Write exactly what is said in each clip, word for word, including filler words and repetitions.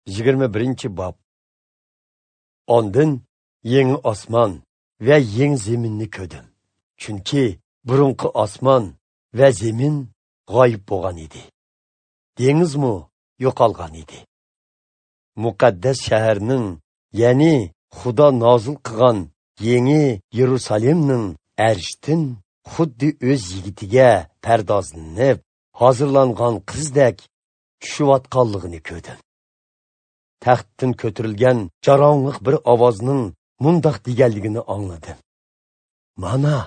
Yigirma birinchi bob. Ondan yangi osmon va yangi zaminni ko'rdim. Chunki burunqi osmon va zamin g'oyib bo'lgan edi. Dengizmi yo'qolgan edi. Muqaddas shaharning, ya'ni Xudo nozil qilgan yangi Yerusalimning arshdan xuddi o'z yigitiga pardozlanib hozirlangan qizdek tushayotganligini ko'rdim. Taxtdan ko'tarilgan jarongliq bir ovozning mundoq deganligini angladim. Mana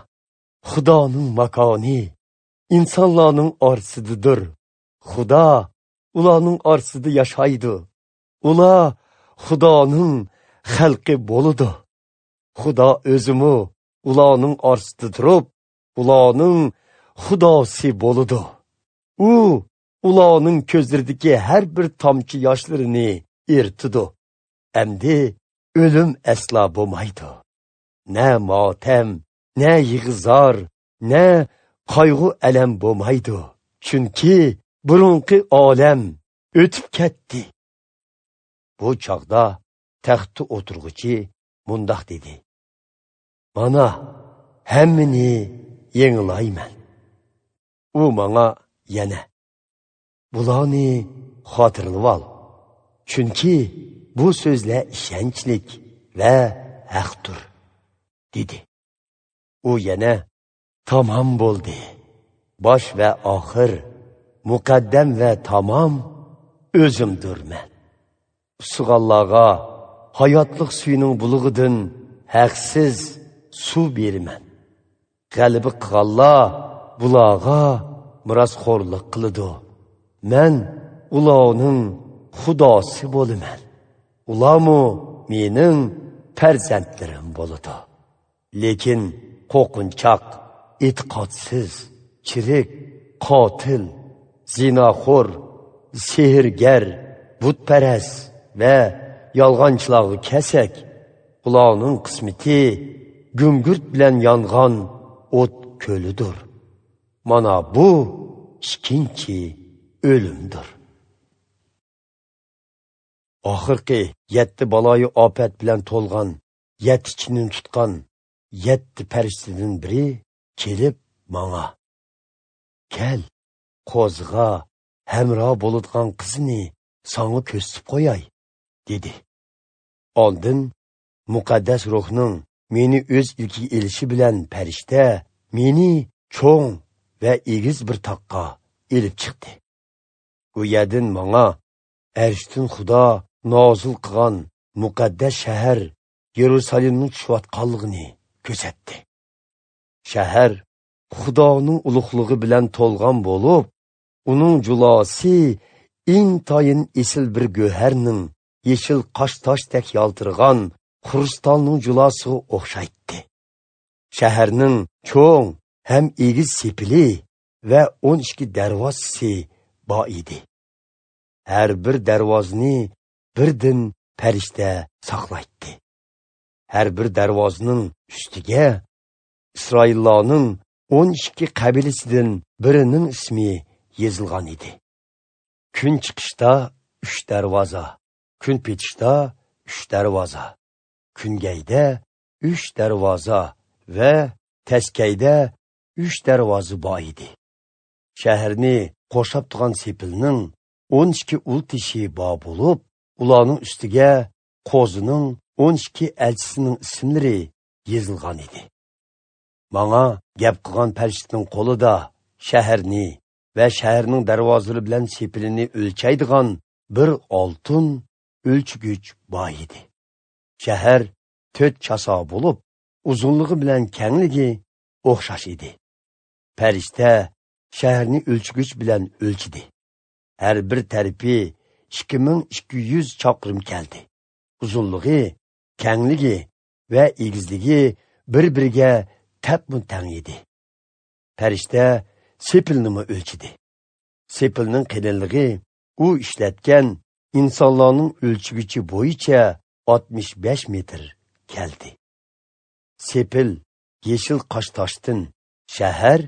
Xudoning makoni insonlarning orasidadir. Xudo ularning orasida yashaydi. Ular Xudoning xalqi bo'ladi. Xudo o'zimi ularning orasida turib, ularning Xudosi bo'ladi. U ularning ko'zlaridagi har bir tomchi yoshlarini eritidi. Endi o'lim aslo bo'lmaydi. Na motam, na yig'zor, na qayg'u alam bo'lmaydi. Chunki burunqi olam o'tib ketdi. Bu chog'da taxtda o'tirg'uchi mundoq dedi: Mana hammani yangilayman. U manga yana: Bularni xotirlab ol. Chunki bu so'zlar ishonchlik va haqdir, dedi. U yana: Tamom bo'ldi. Bosh va oxir, muqaddam va tamom o'zimdirman. Usig'anlarga hayotlik suyining bulug'idan haqsiz suv beraman. G'alaba qilganlar bularga merosxo'rlik qiladi. Men ularning Xudosi bo'laman. Ularmu mening farzandlarim bo'ladi. Lekin qo'rqinchoq, e'tiqodsiz, chirik, qotil, zinoxo'r, sehrgar, butparast va yolg'onchilarga kelsak, ularning qismati gungurt bilan yongan o't ko'lidir. Mana bu ikkinchi o'limdir. Oxirgi yetti baloyi ofat bilan to'lgan, yetti chinini tutgan yetti farishtadan biri kelib manga: Kel, qo'ziga hamro bo'ladigan qizni sanga ko'rsatib qo'yay, dedi. Oldin muqaddas ruhning meni o'z ilkiga elishi bilan farishta meni cho'ng va egiz bir toqqa elib chiqdi. U yerdan manga arshdan Xudo nozil qilgan muqaddas shahar Yerusalimning tushayotganligini ko'rsatdi. Shahar Xudoning ulug'ligi bilan to'lgan bo'lib, uning julosi intayin esil bir go'harning yeshil qosh toshdek yaltirgan xrustalning julosiga o'xshaydi. Shaharning cho'ng ham egiz sepili va o'n ikki darvozasi bor edi. Har bir darvozni birdan farishta saqlaydi. Har bir darvozning ustiga Isroillarning o'n ikki qabilasidan birining ismi yozilgan edi. Kun chiqishda uch darvoza, kun petishda uch darvoza, kungayda uch darvoza va taskayda uch darvoza bor edi. Shaharni qo'shab turgan sepilning o'n ikki ul tishi bor bo'lib, ularning ustiga qo'zining o'n ikki elchisining ismlari yozilgan edi. Manga gap qilgan farishtaning qo'lida shaharni va shaharning darvozalari bilan sepilini o'lchaydigan bir oltin o'lchgich bor edi. Shahar to'rt chasa bo'lib, uzunligi bilan kengligi o'xshash edi. Farishta shaharni o'lchgich bilan o'lchidi. Har bir tarafi ikki ming ikki yuz chaqirim keldi. Uzunligi, kengligi va egizligi bir-biriga tapmu tang edi. Farishta sepilnimi o'lchidi. Sepilning qalinligi u ishlatgan insonlarning o'lchgichi bo'yicha oltmish besh metr keldi. Sepil yeshil qosh toshdan, shahar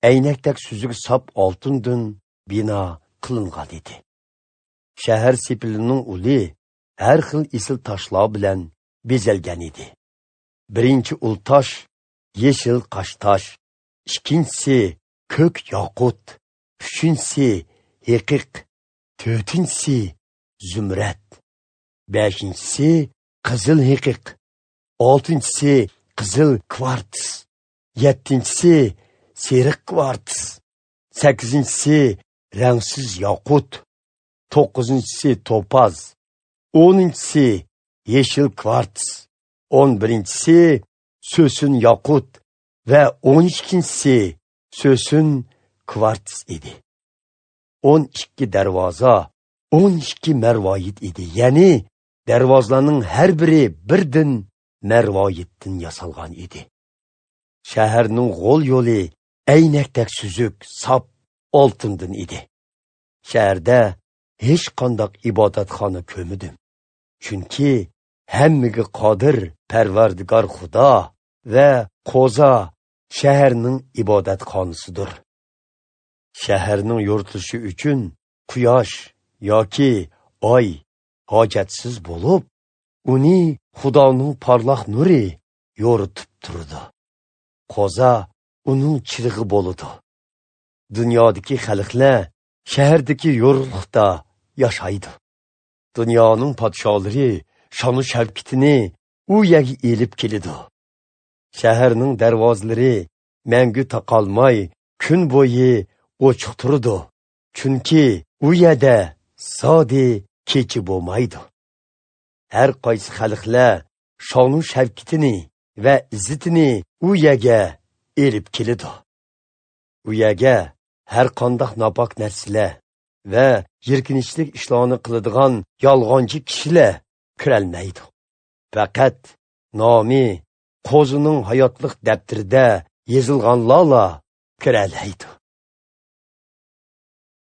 aynakdek suzuk sop oltindan bino qilingan edi. Shahar sepilining uli har xil esil toshlar bilan bezalgan edi. Birinchi ul tosh yeshil qashtosh, ikkinchisi ko'k yoqut, uchinchisi heqiq, to'rtinchisi zumrad, beshinchisi qizil heqiq, oltinchisi qizil kvarts, yettinchisi seriq kvarts, sakkizinchisi rangsiz yoqut, to'qqizinchisi topaz, o'ninchisi yeshil kvarts, o'n birinchisi so'sin yoqut va o'n ikkinchisi so'sin kvarts edi. O'n ikki darvoza, o'n ikki marvoyit edi. Ya'ni darvozalarning har biri birdan marvoyitdan yasalgan edi. Shaharning g'o'l yo'li aynakdek suzuk, sop oltindan edi. Shaharda hech qanday ibodatxona ko'rmadim. Chunki hammaga qodir Parvardigor Xudo va Qo'za shaharning ibodatxonasidir. Shaharning yoritilishi uchun quyosh yoki oy hojatsiz bo'lib, uni Xudoning porloq nuri yoritib turdi. Qo'za uning chirig'i bo'ladi. Dunyodagi xalqlar shahardagi yorug'liqda yashaydi. Dunyoning podsholari shonu shavkatini u yerga elib keladi. Shaharning darvozalari mangu taqalmay kun bo'yi ochiq turadi. Chunki u yerda zodi kechi bo'lmaydi. Har qaysi xalqlar shonu shavkatini va izzatini u yerga elib keladi. U yerga har qanday nopok narsalar va yirkinchlik ishlarni qiladigan yolg'onchi kishilar kirolmaydi. Faqat nomi Qo'zining hayotlik daftarida yozilganlarla kiralaydi.